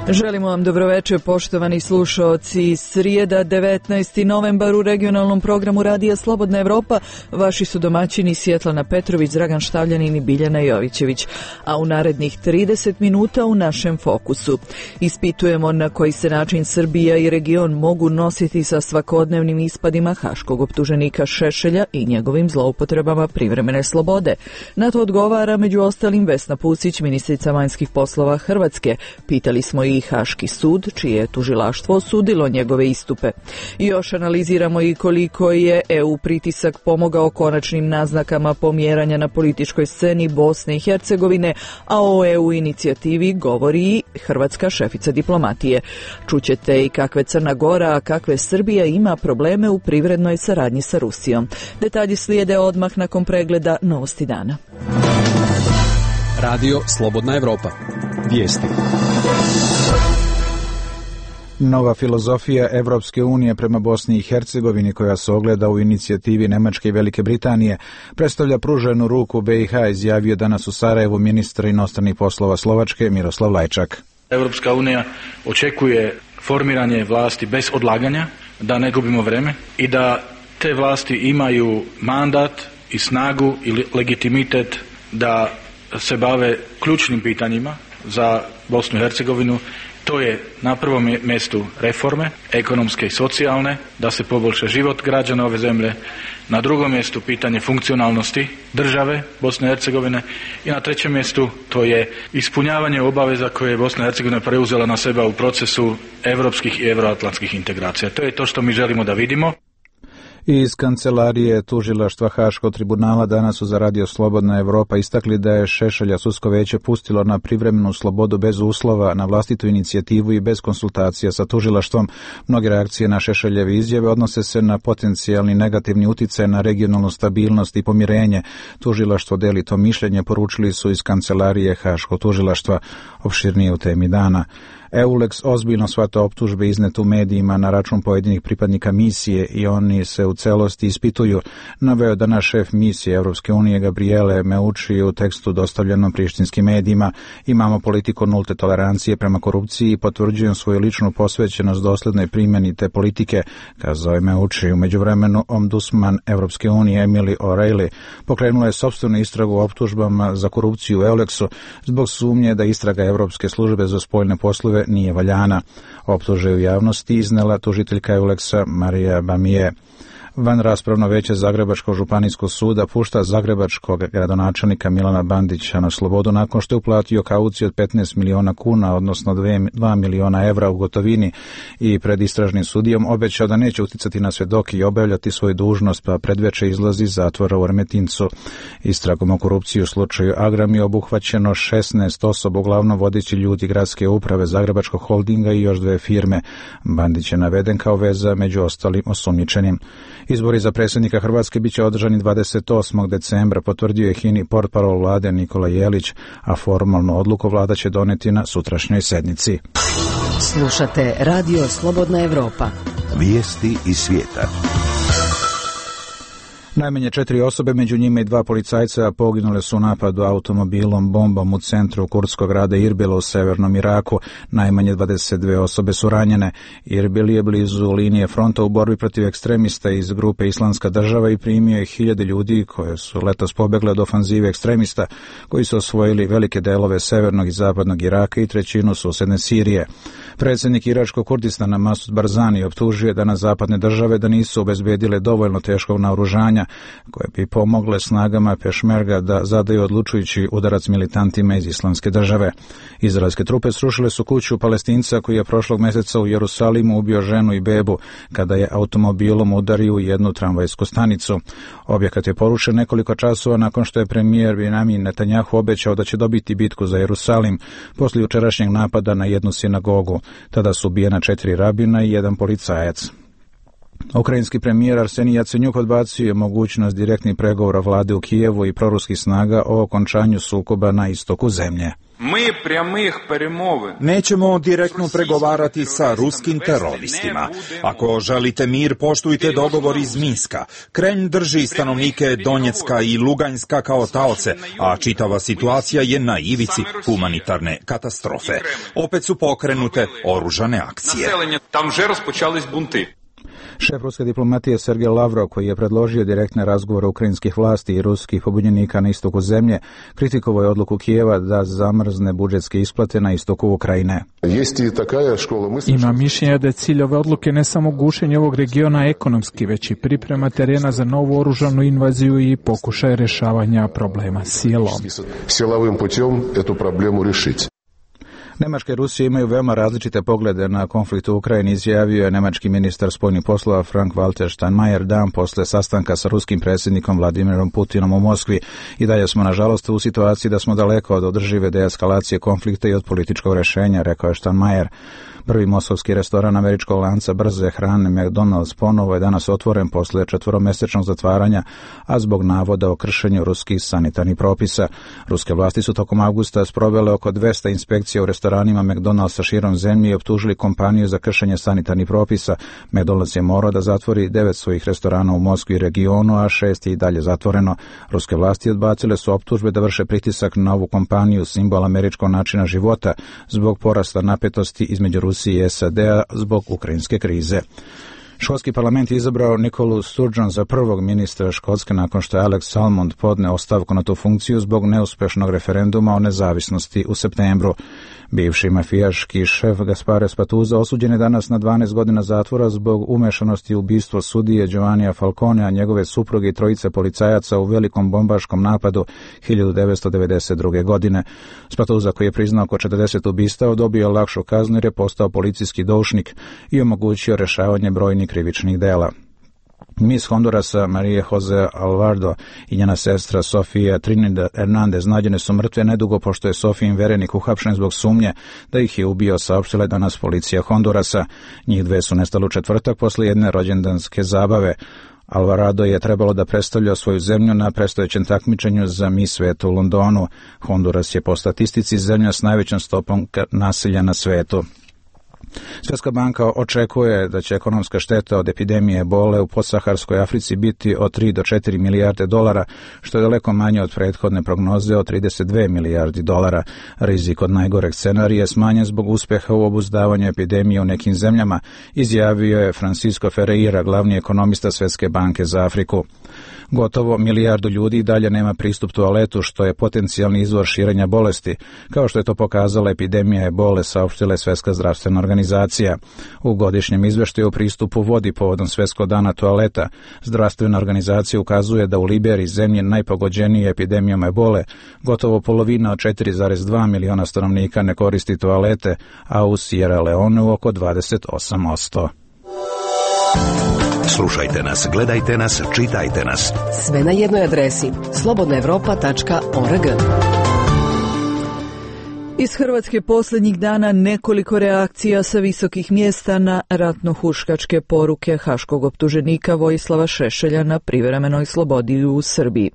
Želimo vam dobroveče, poštovani slušaoci. Srijeda, 19. novembar, u regionalnom programu Radija Slobodna Evropa vaši su domaćini Svjetlana Petrović, Dragan Štavljanin i Biljana Jovićević. A u narednih 30 minuta u našem fokusu ispitujemo na koji se način Srbija i region mogu nositi sa svakodnevnim ispadima haškog optuženika Šešelja i njegovim zloupotrebama privremene slobode. Na to odgovara među ostalim Vesna Pusić, ministrica vanjskih poslova Hrvatske. Pitali smo i Haški sud, čije je tužilaštvo osudilo njegove istupe. I još analiziramo i koliko je EU pritisak pomogao konačnim naznakama pomjeranja na političkoj sceni Bosne i Hercegovine, a o EU inicijativi govori i hrvatska šefica diplomatije. Čućete i kakve Crna Gora, a kakve Srbija ima probleme u privrednoj saradnji sa Rusijom. Detalji slijede odmah nakon pregleda novosti dana. Radio Slobodna Evropa. Vijesti. Nova filozofija Evropske unije prema Bosni i Hercegovini, koja se ogleda u inicijativi Nemačke i Velike Britanije, predstavlja pruženu ruku BiH, izjavio danas u Sarajevu ministar inostranih poslova Slovačke Miroslav Lajčak. Evropska unija očekuje formiranje vlasti bez odlaganja, da ne gubimo vreme i da te vlasti imaju mandat i snagu i legitimitet da se bave ključnim pitanjima za Bosnu i Hercegovinu. To je na prvom mjestu reforme, ekonomske i socijalne, da se poboljša život građana ove zemlje. Na drugom mjestu pitanje funkcionalnosti države Bosne i Hercegovine i na trećem mjestu to je ispunjavanje obaveza koje je Bosna i Hercegovina preuzela na sebe u procesu europskih i euroatlantskih integracija. To je to što mi želimo da vidimo. Iz kancelarije tužilaštva Haškog tribunala danas su za Radio Slobodna Evropa istakli da je Šešelja sudsko veće pustilo na privremenu slobodu bez uslova, na vlastitu inicijativu i bez konsultacija sa tužilaštvom. Mnoge reakcije na Šešeljeve izjave odnose se na potencijalni negativni uticaj na regionalnu stabilnost i pomirenje. Tužilaštvo deli to mišljenje, poručili su iz kancelarije Haškog tužilaštva. Opširnije u temi dana. EULEX ozbiljno shvata optužbe iznete u medijima na račun pojedinih pripadnika misije i oni se u celosti ispituju, naveo danas šef misije Evropske unije Gabriele Meucci u tekstu dostavljenom prištinskim medijima. Imamo politiku nulte tolerancije prema korupciji i potvrđujem svoju ličnu posvećenost doslednoj primjeni te politike, kazao je Meucci. U međuvremenu ombudsman Evropske unije Emily O'Reilly pokrenula je sopstvenu istragu o optužbama za korupciju u EULEX-u zbog sumnje da istraga Evropske službe za spoljne poslove nije valjana. Optuže u javnosti iznela tužiteljka EULEX-a Marija Bamije. Van raspravno veće Zagrebačkog županijskog suda pušta zagrebačkog gradonačelnika Milana Bandića na slobodu nakon što je uplatio kauciju od 15 miliona kuna, odnosno 2 miliona evra u gotovini, i pred istražnim sudijom obećao da neće uticati na svedoke i obavljati svoju dužnost, pa predveče izlazi iz zatvora u Remetincu. Istragom o korupciji u slučaju Agram je obuhvaćeno 16 osoba, uglavnom vodeći ljudi gradske uprave Zagrebačkog holdinga i još 2 firme. Bandić je naveden kao veza među ostalim osumnjičenim. Izbori za predsjednika Hrvatske biće održani 28. decembra, potvrdio je HINA portparol vlade Nikola Jelić, a formalnu odluku vlada će doneti na sutrašnjoj sednici. Slušate Radio Slobodna Evropa. Vijesti iz svijeta. Najmanje 4 osobe, među njima i 2 policajca, poginule su u napadu automobilom bombom u centru kurdskog grada Irbila u severnom Iraku. Najmanje 22 osobe su ranjene. Irbil je blizu linije fronta u borbi protiv ekstremista iz grupe Islamska država i primio je 1000 ljudi koje su letos pobegle od ofanzive ekstremista koji su osvojili velike delove severnog i zapadnog Iraka i trećinu susedne Sirije. Predsjednik iračkog Kurdistana Masud Barzani optužuje danas zapadne države da nisu obezbedile dovoljno teškog naoružanja koje bi pomogle snagama Pešmerga da zadaju odlučujući udarac militantima iz Islamske države. Izraelske trupe srušile su kuću Palestinca koji je prošlog mjeseca u Jerusalimu ubio ženu i bebu kada je automobilom udario u jednu tramvajsku stanicu. Objekat je porušen nekoliko časova nakon što je premijer Benjamin Netanjahu obećao da će dobiti bitku za Jerusalim poslije jučerašnjeg napada na jednu sinagogu. Tada su ubijena 4 rabina i 1 policajac. Ukrajinski premijer Arsenij Jacenjuk odbacio je mogućnost direktnih pregovora vlade u Kijevu i proruskih snaga o okončanju sukoba na istoku zemlje. Nećemo direktno pregovarati sa ruskim teroristima. Ako želite mir, poštujte dogovor iz Minska. Kremlj drži stanovnike Donjecka i Luganjska kao taoce, a čitava situacija je na ivici humanitarne katastrofe. Opet su pokrenute oružane akcije. Šef ruske diplomatije Sergej Lavrov, koji je predložio direktne razgovore ukrajinskih vlasti i ruskih pobunjenika na istoku zemlje, kritikovao je odluku Kijeva da zamrzne budžetske isplate na istoku Ukrajine. Ima mišljenje da je cilj ove odluke ne samo gušenje ovog regiona ekonomski, već i priprema terena za novu oružanu invaziju i pokušaj rješavanja problema silom. Nemačka i Rusija imaju veoma različite poglede na konflikt u Ukrajini, izjavio je nemački ministar spoljnih poslova Frank-Walter Steinmeier dan posle sastanka sa ruskim predsjednikom Vladimirom Putinom u Moskvi. I dalje smo, nažalost, u situaciji da smo daleko od održive deeskalacije konflikta i od političkog rješenja, rekao je Steinmeier. Prvi moskovski restoran američkog lanca brze hrane McDonald's ponovo je danas otvoren posle 4-mesečnog zatvaranja, a zbog navoda o kršenju ruskih sanitarnih propisa. Ruske vlasti su tokom avgusta sprovele oko 200 inspekcija u restoranima McDonald'sa širom zemlje i optužili kompaniju za kršenje sanitarnih propisa. McDonald's je morao da zatvori 9 svojih restorana u Moskvi i regionu, a 6 je i dalje zatvoreno. Ruske vlasti odbacile su optužbe da vrše pritisak na ovu kompaniju, simbol američkog načina života, zbog porasta napetosti između Rusije i SAD-a zbog ukrajinske krize. Škotski parlament je izabrao Nikolu Sturgeon za prvog ministra Škotske nakon što je Alex Salmond podneo ostavku na tu funkciju zbog neuspešnog referenduma o nezavisnosti u septembru. Bivši mafijaški šef Gaspare Spatuzza osuđen je danas na 12 godina zatvora zbog umešanosti u ubistvo sudije Giovannija Falconea, njegove supruge i trojice policajaca u velikom bombaškom napadu 1992. godine. Spatuzza, koji je priznao oko 40 ubistava, dobio lakšu kaznu jer je postao policijski doušnik i omogućio rješavanje brojnih krivičnih dela. Miss Hondurasa Maria Jose Alvarado i njena sestra Sofia Trinidad Hernandez nađene su mrtve nedugo pošto je Sofijin verenik uhapšen zbog sumnje da ih je ubio, saopštila je danas policija Hondurasa. Njih dve su nestale u četvrtak posle jedne rođendanske zabave. Alvarado je trebalo da predstavlja svoju zemlju na predstojećem takmičenju za Miss sveta u Londonu. Honduras je po statistici zemlja s najvećom stopom nasilja na svetu. Svjetska banka očekuje da će ekonomska šteta od epidemije ebole u podsaharskoj Africi biti od 3 do 4 milijarde dolara, što je daleko manje od prethodne prognoze od 32 milijardi dolara. Rizik od najgoreg scenarija je smanjen zbog uspeha u obuzdavanju epidemije u nekim zemljama, izjavio je Francisco Ferreira, glavni ekonomista Svjetske banke za Afriku. Gotovo milijardu ljudi dalje nema pristup toaletu, što je potencijalni izvor širenja bolesti, kao što je to pokazala epidemija ebole, saopštila je Svjetska zdravstvena organizacija. U godišnjem izveštaju o pristupu vodi povodom Svjetskog dana toaleta, zdravstvena organizacija ukazuje da u Liberiji, zemlji najpogođenije epidemijom ebole, gotovo polovina od 4,2 miliona stanovnika ne koristi toalete, a u Sierra Leoneu oko 28%. Slušajte nas, gledajte nas, čitajte nas. Sve na jednoj adresi slobodnaevropa.org. Iz Hrvatske posljednjih dana nekoliko reakcija sa visokih mjesta na ratno-huškačke poruke haškog optuženika Vojislava Šešelja na privremenoj slobodi u Srbiji.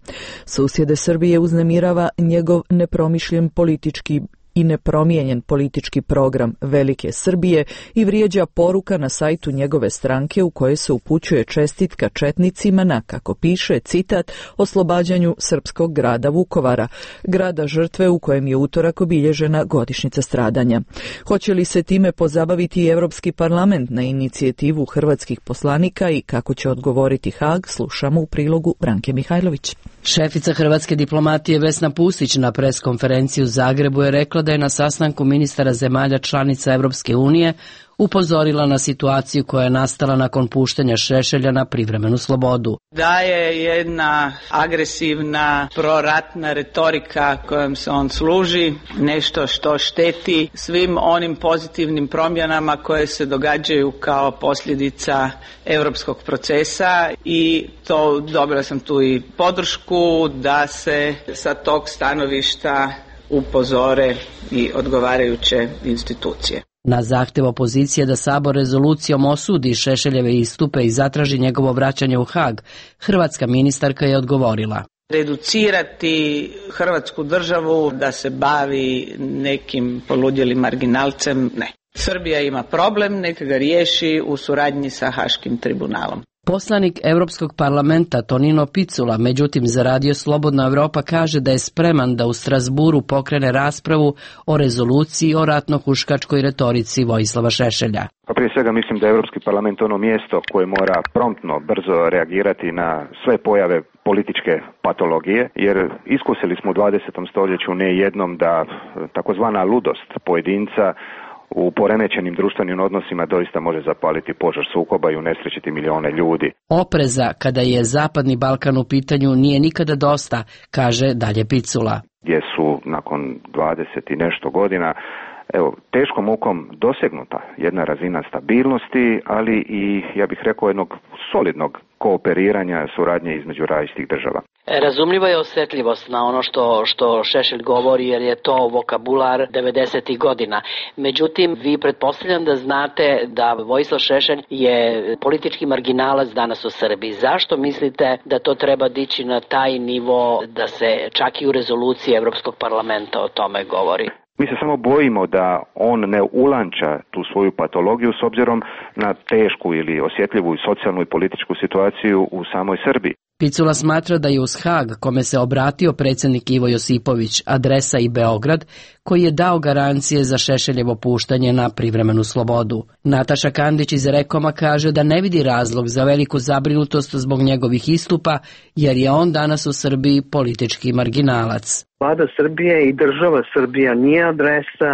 Susjede Srbije uznemirava njegov nepromišljen politički i nepromijenjen politički program Velike Srbije i vrijeđa poruka na sajtu njegove stranke u kojoj se upućuje čestitka četnicima na, kako piše, citat, oslobađanju srpskog grada Vukovara, grada žrtve u kojem je utorak obilježena godišnjica stradanja. Hoće li se time pozabaviti i Europski parlament na inicijativu hrvatskih poslanika i kako će odgovoriti Haag, slušamo u prilogu Branke Mihajlović. Šefica hrvatske diplomatije Vesna Pusić na preskonferenciji u Zagrebu je rekla da je na sastanku ministara zemalja članica Europske unije upozorila na situaciju koja je nastala nakon puštanja Šešelja na privremenu slobodu. Da je jedna agresivna proratna retorika kojom se on služi, nešto što šteti svim onim pozitivnim promjenama koje se događaju kao posljedica europskog procesa i to dobila sam tu i podršku da se sa tog stanovišta upozore i odgovarajuće institucije. Na zahtjev opozicije da Sabor rezolucijom osudi Šešeljeve istupe i zatraži njegovo vraćanje u Haag, hrvatska ministarka je odgovorila. reducirati Hrvatsku državu da se bavi nekim poludjelim marginalcem, ne. Srbija ima problem, neka ga riješi u suradnji sa Haškim tribunalom. Poslanik Europskog parlamenta Tonino Picula, međutim za Radio Slobodna Evropa, kaže da je spreman da u Strasburu pokrene raspravu o rezoluciji o ratno-huškačkoj retorici Vojislava Šešelja. Pa prije svega mislim da je Europski parlament ono mjesto koje mora promptno, brzo reagirati na sve pojave političke patologije, jer iskusili smo u 20. stoljeću ne jednom da takozvana ludost pojedinca u poremećenim društvenim odnosima doista može zapaliti požar sukoba i unesrećiti milione ljudi. Opreza kada je Zapadni Balkan u pitanju nije nikada dosta, kaže dalje Picula. Gdje su nakon 20 i nešto godina teškom mukom dosegnuta jedna razina stabilnosti, ali i, ja bih rekao, jednog solidnog kooperiranja, suradnje između različitih država. Razumljiva je osjetljivost na ono što Šešelj govori, jer je to vokabular 90. godina. Međutim, vi pretpostavljam da znate da Vojislav Šešelj je politički marginalac danas u Srbiji. Zašto mislite da to treba dići na taj nivo da se čak i u rezoluciji Europskog parlamenta o tome govori? Mi se samo bojimo da on ne ulanča tu svoju patologiju s obzirom na tešku ili osjetljivu i socijalnu i političku situaciju u samoj Srbiji. Picula smatra da je uz Haag, kome se obratio predsjednik Ivo Josipović, adresa i Beograd, koji je dao garancije za Šešeljevo puštanje na privremenu slobodu. Nataša Kandić iz Rekoma kaže da ne vidi razlog za veliku zabrinutost zbog njegovih istupa, jer je on danas u Srbiji politički marginalac. Vlada Srbije i država Srbija nije adresa,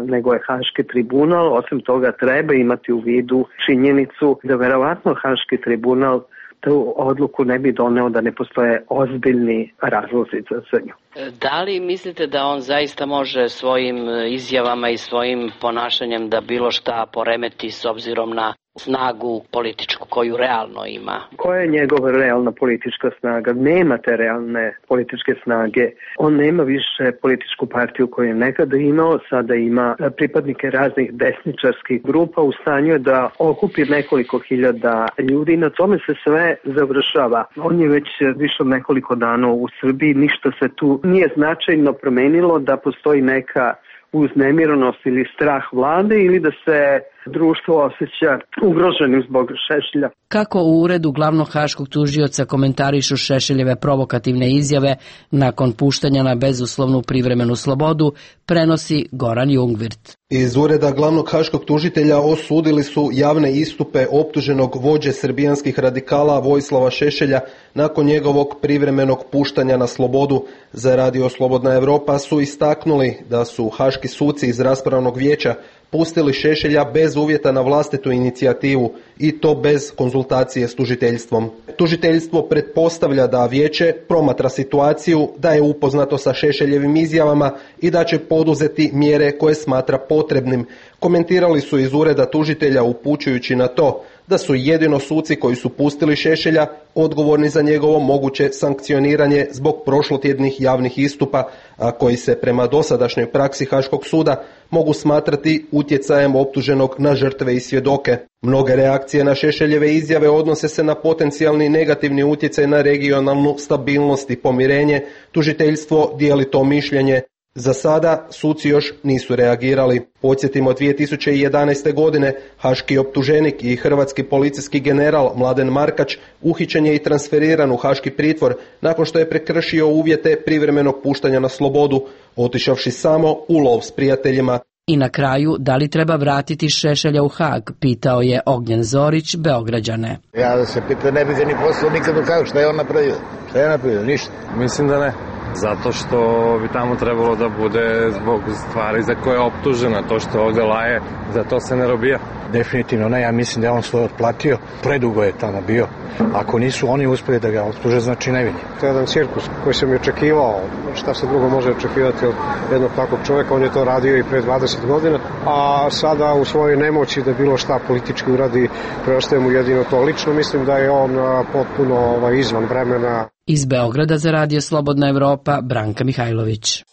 nego je Haški tribunal. Osim toga treba imati u vidu činjenicu da verovatno Haški tribunal tu odluku ne bi doneo da ne postoje ozbiljni razlozi za nju. Da li mislite da on zaista može svojim izjavama i svojim ponašanjem da bilo šta poremeti s obzirom na snagu političku koju realno ima? Koja je njegova realna politička snaga? Nema te realne političke snage. On nema više političku partiju koju je nekada imao, sada ima pripadnike raznih desničarskih grupa, u stanju je da okupi nekoliko hiljada ljudi i na tome se sve završava. On je već više od nekoliko dana u Srbiji, ništa se tu nije značajno promenilo, da postoji neka uznemirenost ili strah vlade ili da se društvo osjeća ugroženim zbog Šešelja. Kako u uredu glavnog haškog tužioca komentarišu Šešeljeve provokativne izjave nakon puštanja na bezuslovnu privremenu slobodu, prenosi Goran Jungvirt. Iz ureda glavnog haškog tužitelja osudili su javne istupe optuženog vođe srbijanskih radikala Vojislava Šešelja nakon njegovog privremenog puštanja na slobodu. Za Radio Slobodna Evropa su istaknuli da su haški suci iz raspravnog vijeća pustili Šešelja bez uvjeta na vlastitu inicijativu i to bez konzultacije s tužiteljstvom. Tužiteljstvo pretpostavlja da vijeće promatra situaciju, da je upoznato sa Šešeljevim izjavama i da će poduzeti mjere koje smatra potrebnim. Komentirali su iz ureda tužitelja upućujući na to da su jedino suci koji su pustili Šešelja odgovorni za njegovo moguće sankcioniranje zbog prošlotjednih javnih istupa, a koji se prema dosadašnjoj praksi Haškog suda mogu smatrati utjecajem optuženog na žrtve i svjedoke. Mnoge reakcije na Šešeljeve izjave odnose se na potencijalni negativni utjecaj na regionalnu stabilnost i pomirenje. Tužiteljstvo dijeli to mišljenje. Za sada suci još nisu reagirali. Podsjetimo, 2011. godine haški optuženik i hrvatski policijski general Mladen Markač uhićen je i transferiran u haški pritvor nakon što je prekršio uvjete privremenog puštanja na slobodu, otišavši samo u lov s prijateljima. I na kraju, da li treba vratiti Šešelja u Haag, pitao je Ognjen Zorić, Beograđane. Ja da se pita, ne bi ga ni poslao nikad u Haag, šta je on napravio? Šta je napravio? Ništa. Mislim da ne. Zato što bi tamo trebalo da bude zbog stvari za koje je optužena. To što ovdje laje, za to se ne robija. Definitivno ne, ja mislim da je on svoje otplatio. Predugo je tamo bio. Ako nisu oni uspjeli da ga optuže, znači nevini. To je jedan cirkus koji sam i očekivao. Šta se drugo može očekivati od jednog takvog čovjeka? On je to radio i pre 20 godina. A sada u svojoj nemoći da bilo šta politički uradi, preostaje mu jedino to. Lično mislim da je on potpuno izvan vremena. Iz Beograda za Radio Slobodna Evropa, Branka Mihajlović.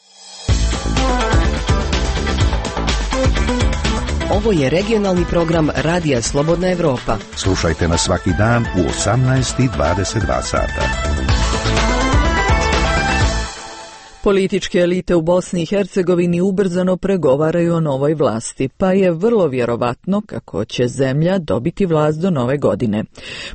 Ovo je regionalni program Radija Slobodna Evropa. Slušajte nas svaki dan u 18:22 sata. Političke elite u Bosni i Hercegovini ubrzano pregovaraju o novoj vlasti, pa je vrlo vjerovatno kako će zemlja dobiti vlast do nove godine.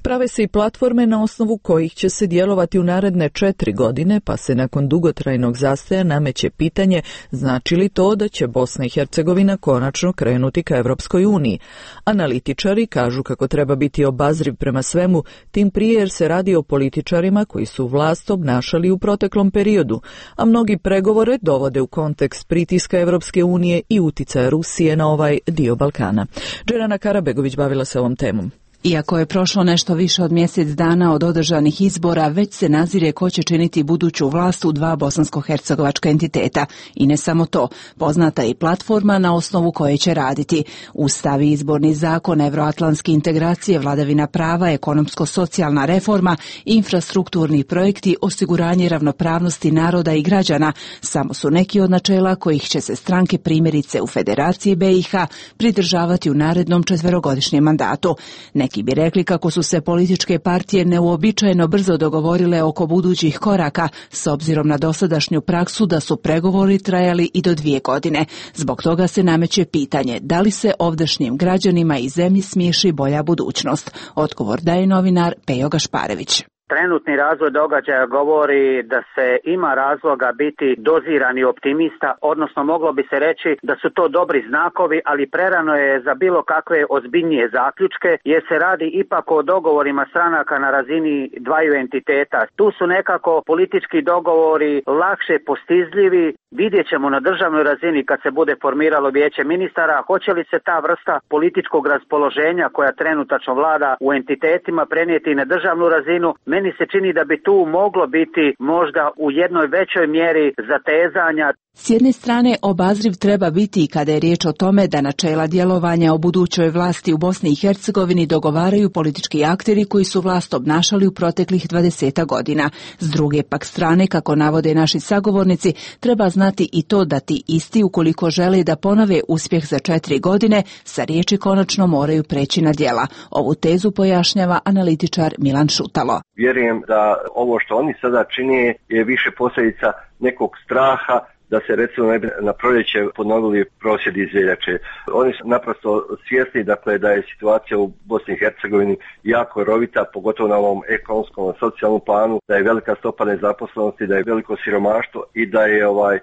Prave se i platforme na osnovu kojih će se djelovati u naredne 4 godine, pa se nakon dugotrajnog zastoja nameće pitanje znači li to da će Bosna i Hercegovina konačno krenuti ka Europskoj uniji. Analitičari kažu kako treba biti obazriv prema svemu, tim prije jer se radi o političarima koji su vlast obnašali u proteklom periodu, a mnogi pregovore dovode u kontekst pritiska Europske unije i uticaja Rusije na ovaj dio Balkana. Džerana Karabegović bavila se ovom temom. Iako je prošlo nešto više od mjesec dana od održanih izbora, već se nazire ko će činiti buduću vlast u 2 bosansko-hercegovačka entiteta. I ne samo to, poznata je i platforma na osnovu koje će raditi. Ustav i izborni zakon, evroatlantske integracije, vladavina prava, ekonomsko-socijalna reforma, infrastrukturni projekti, osiguranje ravnopravnosti naroda i građana samo su neki od načela kojih će se stranke primjerice u Federaciji BiH pridržavati u narednom 4-godišnjem mandatu. Neki bi rekli kako su se političke partije neuobičajeno brzo dogovorile oko budućih koraka, s obzirom na dosadašnju praksu da su pregovori trajali i do 2 godine. Zbog toga se nameće pitanje da li se ovdašnjim građanima i zemlji smiješi bolja budućnost. Odgovor daje novinar Pejo Gašparević. Trenutni razvoj događaja govori da se ima razloga biti dozirani optimista, odnosno moglo bi se reći da su to dobri znakovi, ali prerano je za bilo kakve ozbiljnije zaključke, jer se radi ipak o dogovorima stranaka na razini 2 entiteta. Tu su nekako politički dogovori lakše postizljivi. Vidjet ćemo na državnoj razini kad se bude formiralo vijeće ministara, hoće li se ta vrsta političkog raspoloženja koja trenutačno vlada u entitetima prenijeti na državnu razinu. Meni se čini da bi tu moglo biti možda u jednoj većoj mjeri zatezanja. S jedne strane, obazriv treba biti i kada je riječ o tome da načela djelovanja o budućoj vlasti u Bosni i Hercegovini dogovaraju politički akteri koji su vlast obnašali u proteklih 20 godina. S druge pak strane, kako navode naši sagovornici, treba znati i to da ti isti, ukoliko žele da ponove uspjeh za 4 godine, sa riječi konačno moraju preći na djela. Ovu tezu pojašnjava analitičar Milan Šutalo. Vjerujem da ovo što oni sada čine je više posljedica nekog straha da se recimo na proljeće ponovili prosvjedi iz veljače. Oni su naprosto svjesni da je situacija u Bosni i Hercegovini jako rovita, pogotovo na ovom ekonomskom, socijalnom planu, da je velika stopa nezaposlenosti, da je veliko siromaštvo i da je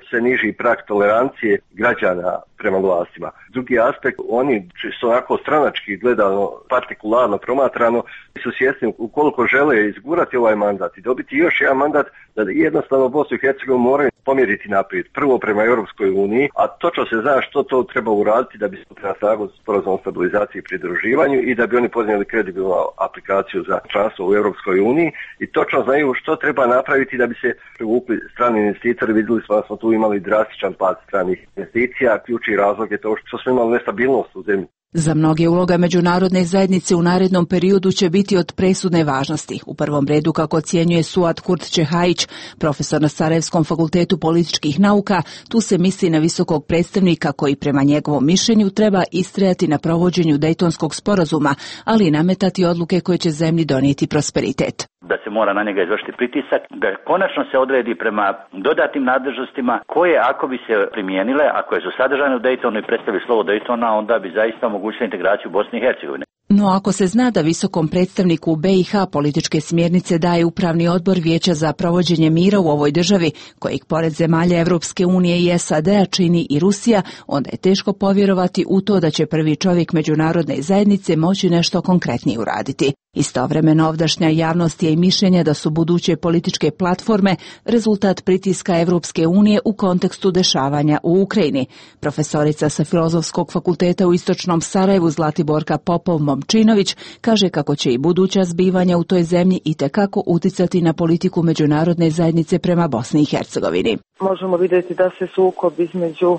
sve niži prag tolerancije građana prema vlastima. Drugi aspekt, oni su onako stranački gledano, partikularno promatrano, su svjesni ukoliko žele izgurati ovaj mandat i dobiti još jedan mandat, da jednostavno Bosnu i Hercegovinu moraju pomjeriti naprijed. Prvo prema Europskoj uniji, a točno se zna što to treba uraditi da bi se na snagu sporazum o stabilizaciji i pridruživanju i da bi oni podnijeli kredibilnu aplikaciju za članstvo u Europskoj uniji i točno znaju što treba napraviti da bi se privukli strani investitori. Vidjeli smo da smo tu imali drastičan pad stranih investicija, ključni razlog je to što smo imali nestabilnost u zemlji. Za mnoge uloga međunarodne zajednice u narednom periodu će biti od presudne važnosti. U prvom redu, kako ocjenjuje Suad Kurt-Čehajić, profesor na Sarajevskom fakultetu političkih nauka, tu se misli na visokog predstavnika koji prema njegovom mišljenju treba istrajati na provođenju Dejtonskog sporazuma, ali i nametati odluke koje će zemlji donijeti prosperitet. Da se mora na njega izvršiti pritisak, da konačno se odredi prema dodatnim nadležnostima koje ako bi se primijenile, ako je su sadržane u Dejtonu i predstavi slovo Dejtona, onda bi zaista omogućila integraciju Bosne i Hercegovine. No ako se zna da visokom predstavniku u BiH političke smjernice daje Upravni odbor Vijeća za provođenje mira u ovoj državi, kojeg pored zemalja Europske unije i SAD-a čini i Rusija, onda je teško povjerovati u to da će prvi čovjek međunarodne zajednice moći nešto konkretnije uraditi. Istovremeno ovdašnja javnost je i mišljenja da su buduće političke platforme rezultat pritiska Europske unije u kontekstu dešavanja u Ukrajini. Profesorica sa Filozofskog fakulteta u Istočnom Sarajevu Zlatiborka Popov-Momčinović kaže kako će i buduća zbivanja u toj zemlji itekako uticati na politiku međunarodne zajednice prema Bosni i Hercegovini. Možemo vidjeti da se sukob između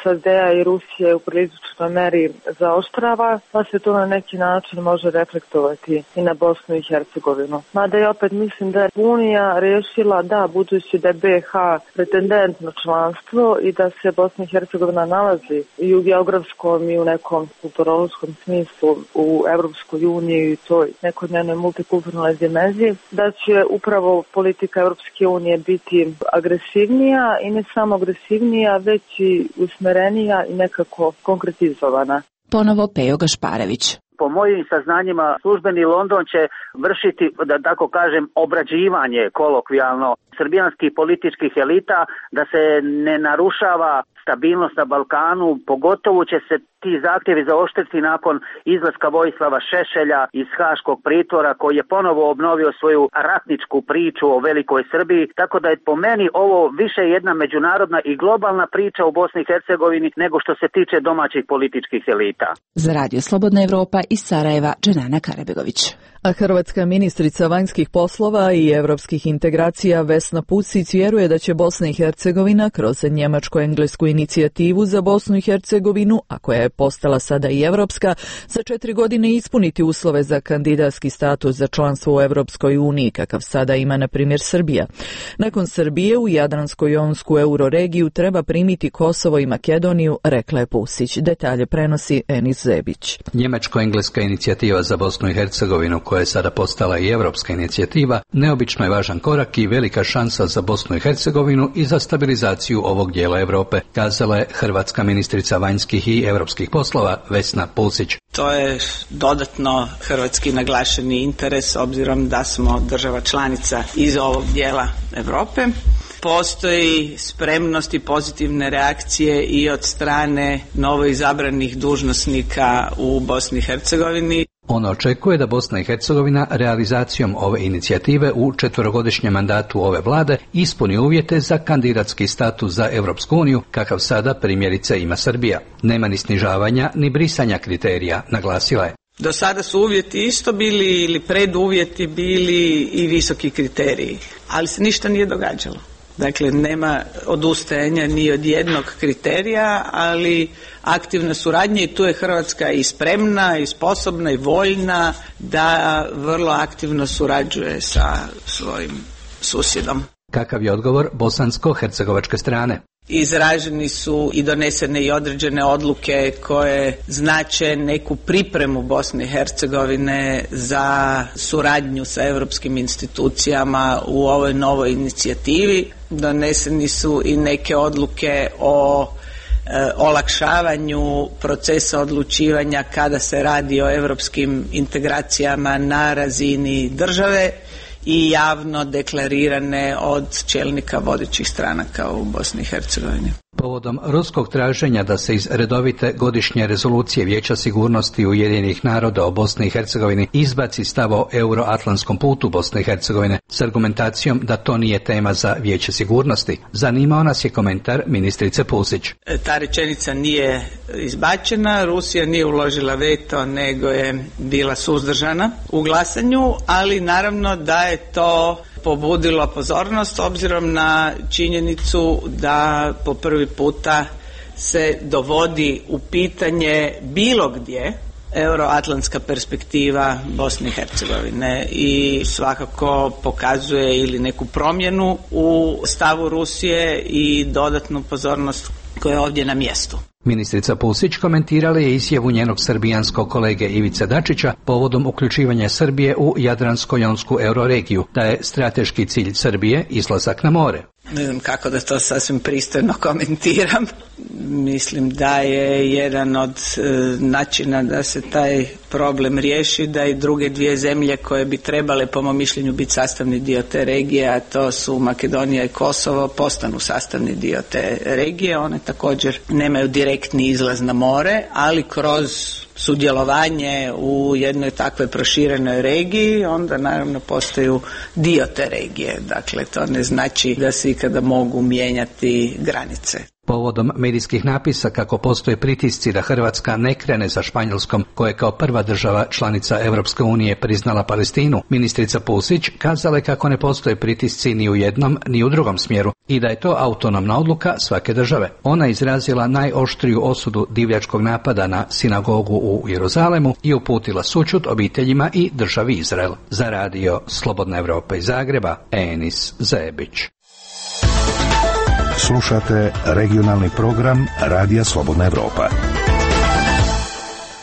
SAD-a i Rusije u priličnoj meri zaoštrava, pa se to na neki način može reflektovati i na Bosnu i Hercegovinu. Mada ja opet mislim da je Unija rešila da, budući da je BiH pretendent na članstvo i da se Bosna i Hercegovina nalazi i u geografskom i u nekom kulturološkom smislu u Evropskoj uniji i toj nekoj njenoj multikulturnoj dimenziji, da će upravo politika Evropske unije biti agresivnija i ne samo agresivnija, već i usmerenija i nekako konkretizovana. Ponovo Pejo Gašparević. Po mojim saznanjima, službeni London će vršiti, da tako kažem, obrađivanje kolokvijalno srbijanskih političkih elita, da se ne narušava stabilnost na Balkanu, pogotovo će se ti zahtjevi zaoštriti nakon izlaska Vojislava Šešelja iz Haškog pritvora, koji je ponovo obnovio svoju ratničku priču o velikoj Srbiji, tako da je po meni ovo više jedna međunarodna i globalna priča u Bosni i Hercegovini nego što se tiče domaćih političkih elita. Za Radio Slobodna Evropa iz Sarajeva, Dženana Karabegović. A hrvatska ministrica vanjskih poslova i evropskih integracija Vesna Pusić vjeruje da će Bosna i Hercegovina kroz njemačko-englesku inicijativu za Bosnu i Hercegovinu, a koja je postala sada i evropska, za 4 godine ispuniti uslove za kandidatski status za članstvo u Evropskoj uniji, kakav sada ima, na primjer, Srbija. Nakon Srbije u Jadransko-jonsku euroregiju treba primiti Kosovo i Makedoniju, rekla je Pusić. Detalje prenosi Enis Zebić. Njemačko-engleska inicijativa za Bosnu i Hercegovinu, koja je sada postala i evropska inicijativa, neobično je važan korak i velika šansa za Bosnu i Hercegovinu i za stabilizaciju ovog dijela Europe, kazala je hrvatska ministrica vanjskih i evropskih poslova Vesna Pusić. To je dodatno hrvatski naglašeni interes, obzirom da smo država članica iz ovog dijela Europe. Postoji spremnost i pozitivne reakcije i od strane novoizabranih dužnosnika u Bosni i Hercegovini. On očekuje da Bosna i Hercegovina realizacijom ove inicijative u 4-godišnjem mandatu ove vlade ispuni uvjete za kandidatski status za Europsku uniju, kakav sada primjerice ima Srbija. Nema ni snižavanja ni brisanja kriterija, naglasila je. Do sada su uvjeti isto bili ili preduvjeti bili i visoki kriteriji, ali se ništa nije događalo. Dakle, nema odustajanja ni od jednog kriterija, ali aktivna suradnja, i tu je Hrvatska i spremna i sposobna i voljna da vrlo aktivno surađuje sa svojim susjedom. Kakav je odgovor bosansko-hercegovačke strane? Izraženi su i donesene i određene odluke koje znače neku pripremu Bosne i Hercegovine za suradnju sa europskim institucijama u ovoj novoj inicijativi. Doneseni su i neke odluke o olakšavanju procesa odlučivanja kada se radi o europskim integracijama na razini države i javno deklarirane od čelnika vodećih stranaka u Bosni i Hercegovini. Povodom ruskog traženja da se iz redovite godišnje rezolucije Vijeća sigurnosti Ujedinjenih naroda o Bosni i Hercegovini izbaci stav o euroatlantskom putu Bosne i Hercegovine s argumentacijom da to nije tema za Vijeće sigurnosti, zanimao nas je komentar ministrice Pusić. Ta rečenica nije izbačena, Rusija nije uložila veto, nego je bila suzdržana u glasanju, ali naravno da je to pobudilo pozornost obzirom na činjenicu da po prvi puta se dovodi u pitanje bilo gdje euroatlantska perspektiva Bosne i Hercegovine i svakako pokazuje ili neku promjenu u stavu Rusije i dodatnu pozornost koja je ovdje na mjestu. Ministrica Pusić komentirala je izjavu njenog srbijanskog kolege Ivice Dačića povodom uključivanja Srbije u Jadransko-jonsku euroregiju, da je strateški cilj Srbije izlazak na more. Ne znam kako da to sasvim pristojno komentiram. Mislim da je jedan od načina da se taj problem riješi, da i druge dvije zemlje koje bi trebale po mom mišljenju biti sastavni dio te regije, a to su Makedonija i Kosovo, postanu sastavni dio te regije. One također nemaju direktni izlaz na more, ali kroz sudjelovanje u jednoj takvoj proširenoj regiji onda naravno postaju dio te regije. Dakle, to ne znači da se ikada mogu mijenjati granice. Povodom medijskih napisa kako postoje pritisci da Hrvatska ne krene za Španjolskom, koja je kao prva država članica Europske unije priznala Palestinu, ministrica Pusić kazala je kako ne postoje pritisci ni u jednom ni u drugom smjeru i da je to autonomna odluka svake države. Ona izrazila najoštriju osudu divljačkog napada na sinagogu u Jeruzalemu i uputila sućut obiteljima i državi Izrael. Za radio Slobodna Evropa iz Zagreba, Enis Zebić. Slušate regionalni program Radija Slobodna Evropa.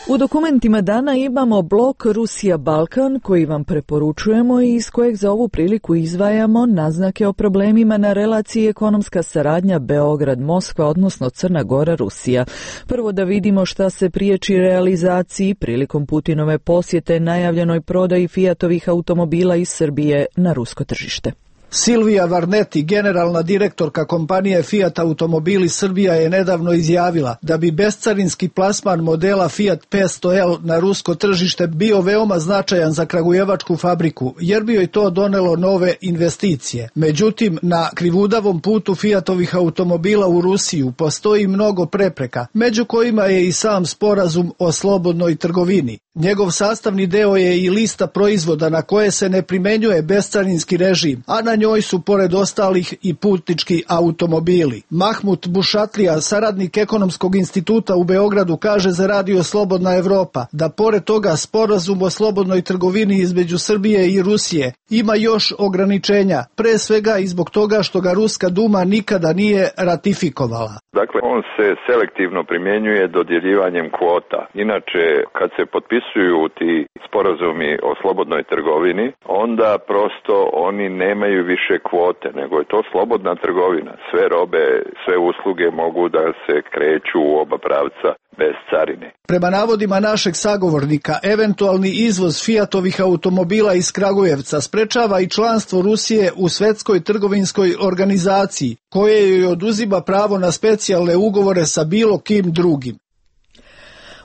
U dokumentima dana imamo blok Rusija-Balkan koji vam preporučujemo i iz kojeg za ovu priliku izdvajamo naznake o problemima na relaciji ekonomska saradnja Beograd-Moskva, odnosno Crna Gora-Rusija. Prvo da vidimo šta se priječi realizaciji prilikom Putinove posjete najavljenoj prodaji Fiatovih automobila iz Srbije na rusko tržište. Silvija Varneti, generalna direktorka kompanije Fiat Automobili Srbija, je nedavno izjavila da bi bescarinski plasman modela Fiat 500L na rusko tržište bio veoma značajan za kragujevačku fabriku, jer bi joj to donelo nove investicije. Međutim, na krivudavom putu Fiatovih automobila u Rusiju postoji mnogo prepreka, među kojima je i sam sporazum o slobodnoj trgovini. Njegov sastavni deo je i lista proizvoda na koje se ne primenjuje bescarinski režim, a na njoj su pored ostalih i putnički automobili. Mahmut Bušatlija, saradnik Ekonomskog instituta u Beogradu, kaže za radio Slobodna Evropa da pored toga sporazum o slobodnoj trgovini između Srbije i Rusije ima još ograničenja, pre svega i zbog toga što ga Ruska Duma nikada nije ratifikovala. Dakle, on se selektivno primjenjuje dodjeljivanjem kvota. Inače, kad se potpisuju ti sporazumi o slobodnoj trgovini, onda prosto oni nemaju više kvote, nego je to slobodna trgovina. Sve robe, sve usluge mogu da se kreću u oba pravca bez carine. Prema navodima našeg sagovornika, eventualni izvoz Fiatovih automobila iz Kragujevca sprečava i članstvo Rusije u Svetskoj trgovinskoj organizaciji, koje joj oduzima pravo na specijalne ugovore sa bilo kim drugim.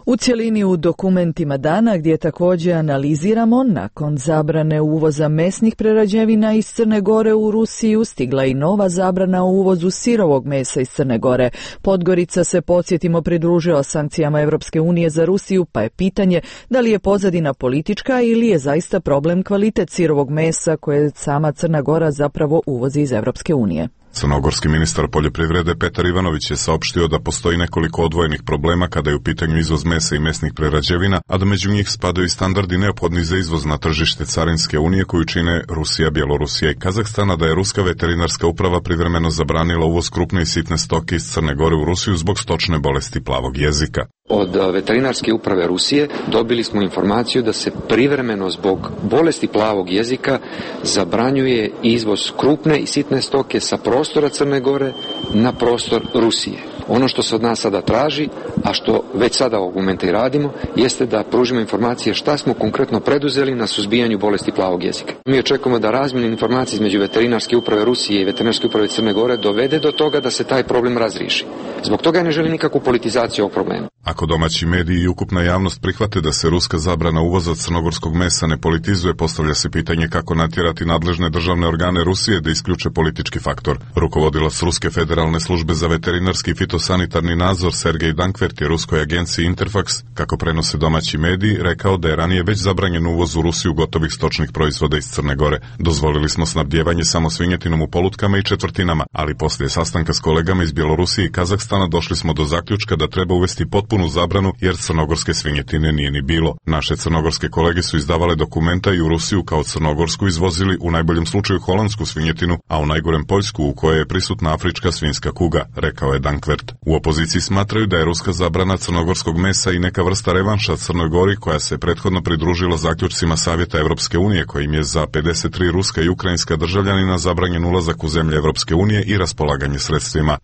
U cjelini u dokumentima dana gdje također analiziramo, nakon zabrane uvoza mesnih prerađevina iz Crne Gore u Rusiju stigla i nova zabrana o uvozu sirovog mesa iz Crne Gore. Podgorica se, podsjetimo, pridružila sankcijama Europske unije za Rusiju, pa je pitanje da li je pozadina politička ili je zaista problem kvalitet sirovog mesa koje sama Crna Gora zapravo uvozi iz Europske unije. Crnogorski ministar poljoprivrede Petar Ivanović je saopštio da postoji nekoliko odvojenih problema kada je u pitanju izvoz mesa i mesnih prerađevina, a da među njih spadaju i standardi neophodni za izvoz na tržište Carinske unije koju čine Rusija, Bjelorusija i Kazahstana, da je Ruska veterinarska uprava privremeno zabranila uvoz krupne i sitne stoke iz Crne Gore u Rusiju zbog stočne bolesti plavog jezika. Od veterinarske uprave Rusije dobili smo informaciju da se privremeno zbog bolesti plavog jezika zabranjuje izvoz krupne i sitne stoke sa prostora Crne Gore na prostor Rusije. Ono što se od nas sada traži, a što već sada ovog momenta i radimo, jeste da pružimo informacije šta smo konkretno preduzeli na suzbijanju bolesti plavog jezika. Mi očekujemo da razmjena informacija između veterinarske uprave Rusije i veterinarske uprave Crne Gore dovede do toga da se taj problem razriješi. Zbog toga ja ne želim nikakvu politizaciju ovog problema. Ako domaći mediji i ukupna javnost prihvate da se ruska zabrana uvoza crnogorskog mesa ne politizuje, postavlja se pitanje kako natjerati nadležne državne organe Rusije da isključe politički faktor. Rukovodilac Ruske federalne službe za veterinarski i fitosanitarni nadzor Sergej Dankvert je ruskoj agenciji Interfax, kako prenose domaći mediji, rekao da je ranije već zabranjen uvoz u Rusiju gotovih stočnih proizvoda iz Crne Gore. Dozvolili smo snabdijevanje samo svinjetinom u polutkama i četvrtinama, ali poslije sastanka s kolegama iz Bjelorusije i Kazahstana došli smo do zaključka da treba uvesti potpunu zabranu jer crnogorske svinjetine nije ni bilo. Naše crnogorske kolege su izdavale dokumenta i u Rusiju kao crnogorsku izvozili u najboljem slučaju holandsku svinjetinu, a u najgorem Poljsku u kojoj je prisutna afrička svinjska kuga, rekao je Dankvert. U opoziciji smatraju da je ruska zabrana crnogorskog mesa i neka vrsta revanša Crnoj Gori koja se prethodno pridružila zaključcima Savjeta Evropske unije kojim je za 53 ruska i ukrajinska državljanina zabranjen ulazak u zemlje Evropske unije i raspolaganje sredstvima.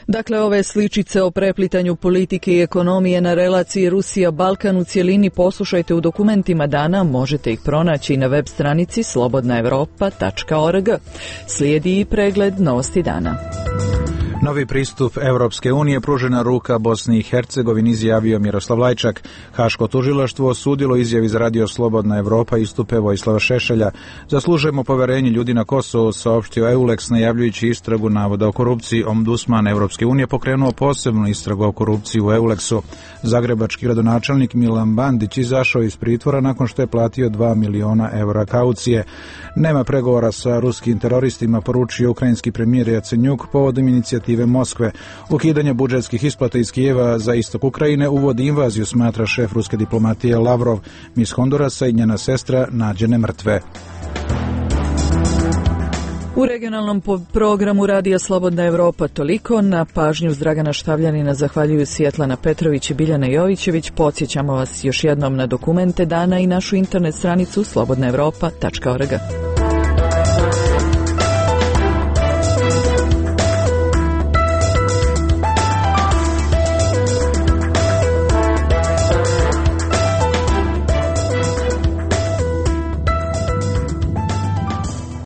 Dakle, ove sličice o preplitanju politike i ekonomije na relaciji Rusija-Balkan u cjelini poslušajte u dokumentima dana, možete ih pronaći na web stranici slobodnaevropa.org. Slijedi i pregled novosti dana. Novi pristup Evropske unije, pružena ruka Bosni i Hercegovini, izjavio Miroslav Lajčak. Haško tužilaštvo osudilo izjavi za Radio Slobodna Evropa istupe Vojislava Šešelja. Zaslužujemo poverenje ljudi na Kosovu, saopštio Eulex, najavljujući istragu navoda o korupciji. Ombudsman Evropske unije pokrenuo posebnu istragu o korupciji u Eulexu. Zagrebački gradonačelnik Milan Bandić izašao iz pritvora nakon što je platio 2 miliona evra kaucije. Nema pregovora sa ruskim teroristima, poručio ukrajinski premijer Jacenjuk povodom inicijative Moskve. Ukidanje budžetskih isplata iz Kijeva za istok Ukrajine uvodi invaziju, smatra šef ruske diplomatije Lavrov. Mis Hondurasa i njena sestra nađene mrtve. U regionalnom programu Radija Slobodna Evropa toliko. Na pažnju uz Dragana Štavljanina zahvaljuju Sjetlana Petrović i Biljana Jovićević. Podsjećamo vas još jednom na dokumente dana i našu internet stranicu slobodnaevropa.org.